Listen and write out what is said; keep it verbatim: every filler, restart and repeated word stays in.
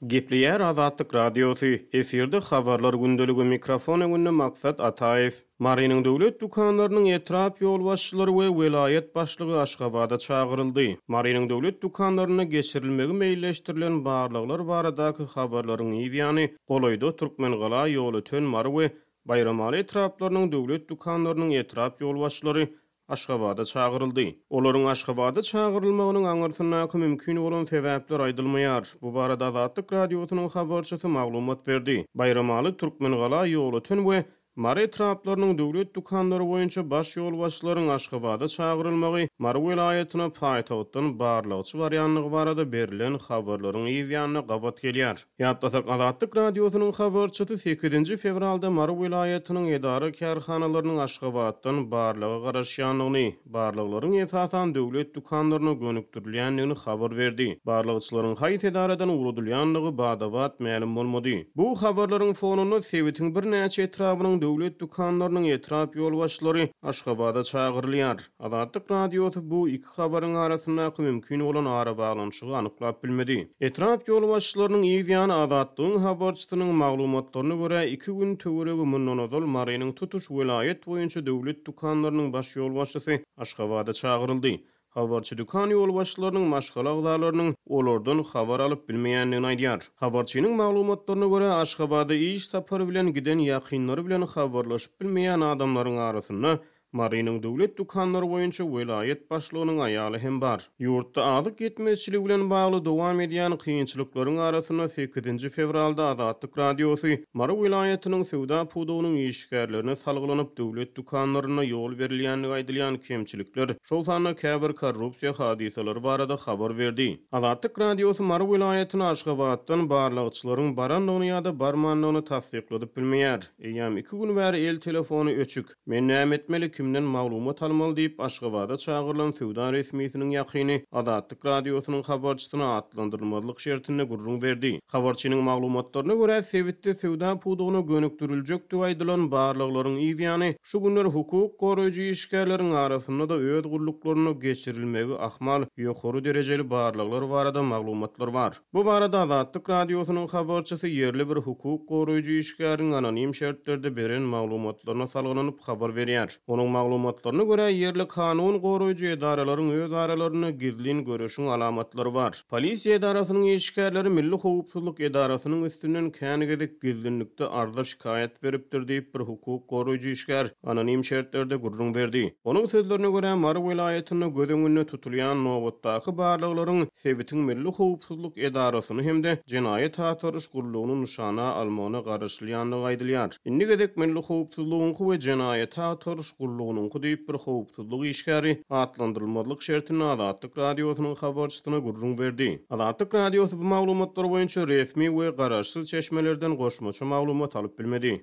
Gepleýär Azatlyk Radiosy, efirde Habarlar gündeligi, mikrofon öňünde Maksat Ataýew. Marynyň döwlet dükanlarynyň etrap ýolbaşçylary we welaýat başlygy Aşgabada çagyryldy. Marynyň döwlet dükanlarynda geçirilmegi meýilleşdirilen barlaglar baradaky habarlaryň yz ýany, golaýda Türkmengala, Ýolöten, Mary we Baýramaly etraplarynyň döwlet dükanlarynyň etrap ýolbaşçylary Aşgabada çagyryldy. Olaryň Aşgabada çagyrylmagynyň aňyrsyndaky mümkin bolan sebäpler aýdylmaýar. Bu barada Azatlyk Radiosynyň habarçysy maglumat berdi. Baýramaly, Türkmengala, Ýolöten we Mary etraplarynyň döwlet dükanlary boýunça baş ýolbaşçylaryň Aşgabada çagyrylmagy Mary welaýatyna paýtagtdan barlagçy barýandygy barada berlen habarlaryň yz ýanyna gabat gelýär. Ýatlasak, Azatlyk Radiosynyň habarçysy sekizinji fewralda Mary welaýatynyň edara-kärhanalarynyň Aşgabatdan barlaga garaşýandygyny, barlaglaryň esasan döwlet dükanlaryna gönükdirilýändigini habar berdi. Barlagçylaryň haýsy edaradan ugradylýandygy bada-bat mälim bolmady. Bu habarlaryň fonunda sebitiň birnäçe etrabynyň döwlet dükanlarynyň etrap ýolbaşçylary Aşgabada çagyrylýar. Azatlyk Radiosy bu iki habaryň arasyndaky mümkin bolan arabaglanyşygy anyklap bilmedi. Etrap ýolbaşçylarynyň yz ýany Azatlygyň habarçysynyň maglumatlaryna görä, iki gün töweregi mundan ozal Marynyň tutuş welaýat boýunça döwlet dükanlarynyň baş ýolbaşçysy Aşgabada çagyryldy. Habarçy dükan ýolbaşçylarynyň maşgala agzalarynyň olardan habar alyp bilmeýändigini aýdýar. Habarçynyň maglumatlaryna görä, Aşgabada iş sapary bilen giden ýakynlary bilen habarlaşyp bilmeýän adamlaryň arasynda Marynyň döwlet dükanlary boýunça welaýat başlygynyň aýaly hem bar. Ýurtda azyk ýetmezçiligi bilen bagly dowam edýän kynçylyklaryň arasynda sekizinji fewralda Azatlyk Radiosy Mary welaýatynyň söwda pudagynyň işgärlerine salgylanyp, döwlet dükanlarynda ýol berilýändigi aýdylýan kemçilikler, şol sanda käbir korrupsiýa hadysalary barada habar berdi. Azatlyk Radiosy Mary welaýatyna Aşgabatdan barlagçylaryň barandygyny ýa-da barmandygyny tassykladyp bilmeýär. Eýýäm iki gün bäri el telefony öçük. Men näme etmeli, kimden maglumat almaly diýip, Aşgabada çagyrylan söwda resmisiniň ýakyny Azatlyk Radiosynyň habarçysyna atlandyrylmazlyk şertinde gürrüň berdi. Habarçynyň maglumatlaryna görä, sebitde söwda pudagyna gönükdiriljekdigi aýdylan barlaglaryň yz ýany, şu günler hukuk goraýjy işgärleriň arasynda-da öz gulluklarynda geçirilmegi ahmal ýokary derejeli barlaglar barada maglumatlar bar. Bu barada Azatlyk Radiosynyň habarçysy ýerli bir hukuk goraýjy işgäriň anonim şertlerde beren maglumatlaryna salgylanyp habar berýär. Onuň maglumatlaryna görä, ýerli kanun goraýjy edaralaryň öz aralarynda gizlin göreşiň alamatlary bar. Polisiýa edarasynyň işgärleri Milli howpsuzlyk edarasynyň üstünden kän gezek gizlinlikde arza şikaýat beripdir diýip, bir hukuk goraýjy işgär anonim şertlerde gürrüň berdi. Onuň sözlerine görä, Mary welaýatynda göz öňünde tutulýan nobatdaky barlaglaryň sebitiň Milli howpsuzlyk edarasyny hem-de jenaýat agtaryş gullugyny nyşana almagyna garaşylýandygy aýdylýar. Indi gezek Milli howpsuzlygyňky we jenaýat agtaryş gullugynyňky diýip, bir howpsuzlyk işgäri atlandyrylmazlyk şertinde Azatlyk Radiosynyň habarçysyna gürrüň berdi. Azatlyk Radiosy bu maglumatlar boýunça resmi we garaşsyz çeşmelerden goşmaça maglumat alyp bilmedi.